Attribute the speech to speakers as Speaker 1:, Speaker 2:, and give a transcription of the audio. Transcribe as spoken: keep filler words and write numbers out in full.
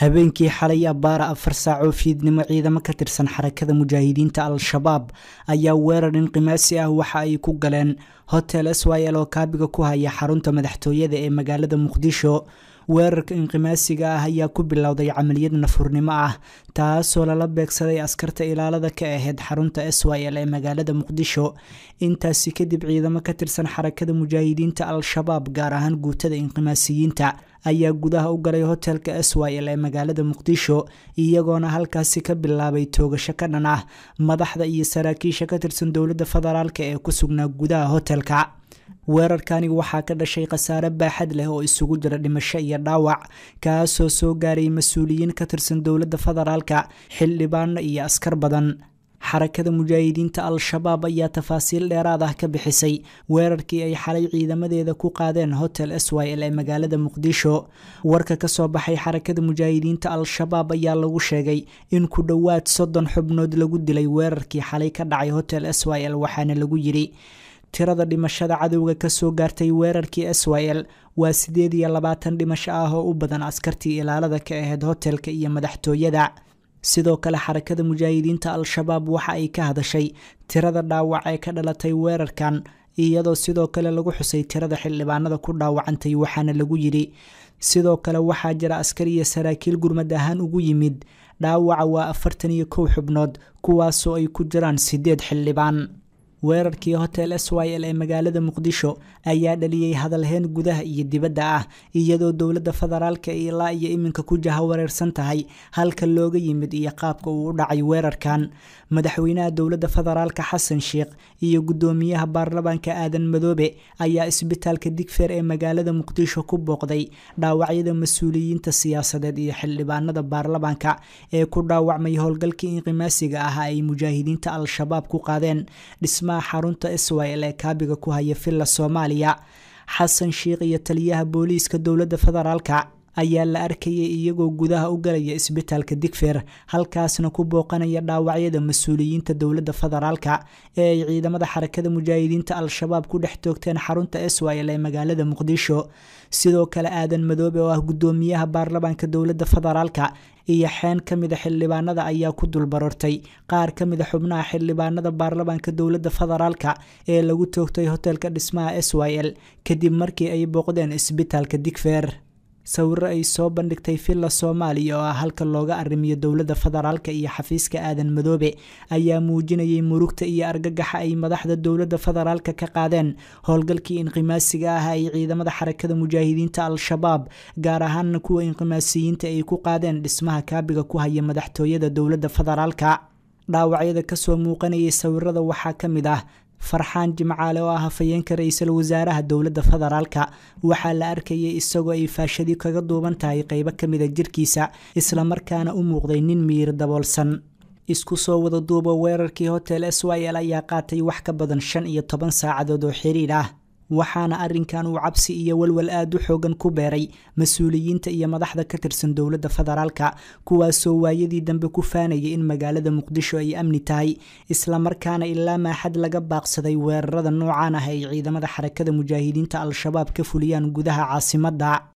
Speaker 1: Habeenkii xalay abbaara afar saac oo fiidnimo, ciidamo ka tirsan Xarakada Mujaahidiinta Al-Shabaab ayaa weerar inqimaasi ah waxa ay ku galeen Hotel S Y L oo kaabiga ku haya xarunta madaxtooyada ee magaalada Muqdisho. Weerarka inqimaasiga ah ayaa ku bilowday camaliyad nafurnimo ah, taasoo lala beegsaday askarta ilaalada ka ahayd xarunta S Y L ee magaalada Muqdisho. Intaasi kadib, ciidamo ka tirsan Xarakada Mujaahidiinta Al-Shabaab, gaar ahaan guutada inqimaasiyiinta, ayaa gudaha u galay hotelka S Y L ee magaalada Muqdisho, iyagoona halkaasi ka bilaabay toogasho ka dhan ah madaxda iyo saraakiisha ka tirsan dowladda federaalka ee ku sugnaa gudaha hotelka. Weerarkani waxaa ka dhashay khasaare baaxad leh oo isugu jira dhimasho iyo dhaawac, kaasoo soo gaaray mas-uuliyiin ka tirsan dowladda federaalka, xildhibaano iyo askar badan. Xarakada Mujaahidiinta Al-Shabaab ayaa tafaasiil dheeraad ah ka bixisay weerarkii ay xalay ciidamadeeda ku qaadeen Hotel S Y L ee magaalada Muqdisho. Warka kasoo baxay Xarakada Mujaahidiinta Al-Shabaab ayaa lagu sheegay in ku dhowaad soddon xubnood lagu dilay weerarkii xalay ka dhacay Hotel S Y L, waxaana lagu yidhi: Tirada dhimashada cadowga kasoo gaartay weerarkii S Y L waa sideed iyo labaatan dhimasho ah oo u badan askartii ilaalada ka ahayd hotelka iyo madaxtooyada. Sidoo kale, Xarakada Mujaahidiinta Al-Shabaab waxa ay ka hadashay tirada dhaawac ee ka dhalatay weerarkan, iyadoo sidoo kale lagu xusay tirada xildhibaanada ku dhaawacantay, waxaana lagu yidhi: Sidoo kale waxaa jira askar iyo saraakiil gurmad ahaan ugu yimid. Dhaawaca waa afartan iyo kow xubnood, kuwaasoo ay ku jiraan sideed xildhibaan. Weerarkii Hotel S Y L ee magaalada Muqdisho ayaa dhaliyey hadalheen gudaha iyo dibadda ah, iyadoo dowladda federaalka ilaa iyo iminka ku jahawareersan tahay halka looga yimid iyo qaabka uu u dhacay weerarkan. Madaxweynaha dowladda federaalka Xasan Sheikh iyo guddoomiyaha baarlamaanka Aadan Madoobe ayaa isbitaalka Digfeer ee magaalada Muqdisho ku booqday dhaawacyada mas-uuliyiinta siyaasadeed iyo xildhibaanada baarlamaanka ee ku dhaawacmay howlgalkii inqimaasiga ahaa ay mujaahidiinta Al-Shabaab ku qaadeen dhisma xarunta S Y L ee kaabiga ku haya Villa Soomaaliya. Xasan Sheikh iyo taliyaha booliiska dowladda federaalka ayaa la arkayay iyagoo gudaha u galaya isbitaalka Digfeer, halkaasna ku booqanaya dhaawacyada mas-uuliyiinta dowladda federaalka ee ay ciidamada Xarakada Mujaahidiinta Al-Shabaab ku dhex toogteen xarunta S Y L ee magaalada Muqdisho. Sidoo kale, Aadan Madoobe oo ah guddoomiyaha baarlamaanka dowladda federaalka iyo xeen ka mida xildhibaanada ayaa ku dulbarortay qaar ka mida xubnaha xildhibaanada baarlamaanka dowladda federaalka ee lagu toogtay hotelka dhismaha S Y L kadib markii ay booqdeen isbitaalka Digfeer. Sawiro ay soo bandhigtay Villa Soomaaliya oo ah halka looga arrimiyo dowladda federaalka iyo xafiiska Aadan Madoobe ayaa muujinayay murugta iyo argagaxa ay madaxda dowladda federaalka ka qaadeen howlgalkii inqimaasiga ah ay ciidamada Xarakada Mujaahidiinta Al-Shabaab, gaar ahaana kuwa inqimaasiyiinta, ay ku qaadeen dhismaha kaabiga ku haya madaxtooyada dowladda federaalka. Dhaawacyada kasoo muuqanayay sawirada waxaa ka mid ah Farxaan Jimcaale oo ah hafayeenka ra-iisul wasaaraha dowladda federaalka. Waxaa la arkayay isagoo ay faashadii kaga duuban tahay qeybo ka mida jirkiisa, islamarkaana u muuqday nin miyir daboolsan. Isku soo wada duuba, weerarkii Hotel S Y L ayaa qaatay wax ka badan shan iyo toban saacadood oo xiriir ah, waxaana arrinkan uu cabsi iyo walwal aad u xoogan ku beeray mas-uuliyiinta iyo madaxda ka tirsan dowladda federaalka, kuwaasoo waayadii dambe ku faanayay in magaalada Muqdisho ay amni tahay, islamarkaana ilaa maaxad laga baaqsaday weerarada noocan ah ay ciidamada Xarakada Mujaahidiinta Al-Shabaab ka fuliyaan gudaha caasimadda.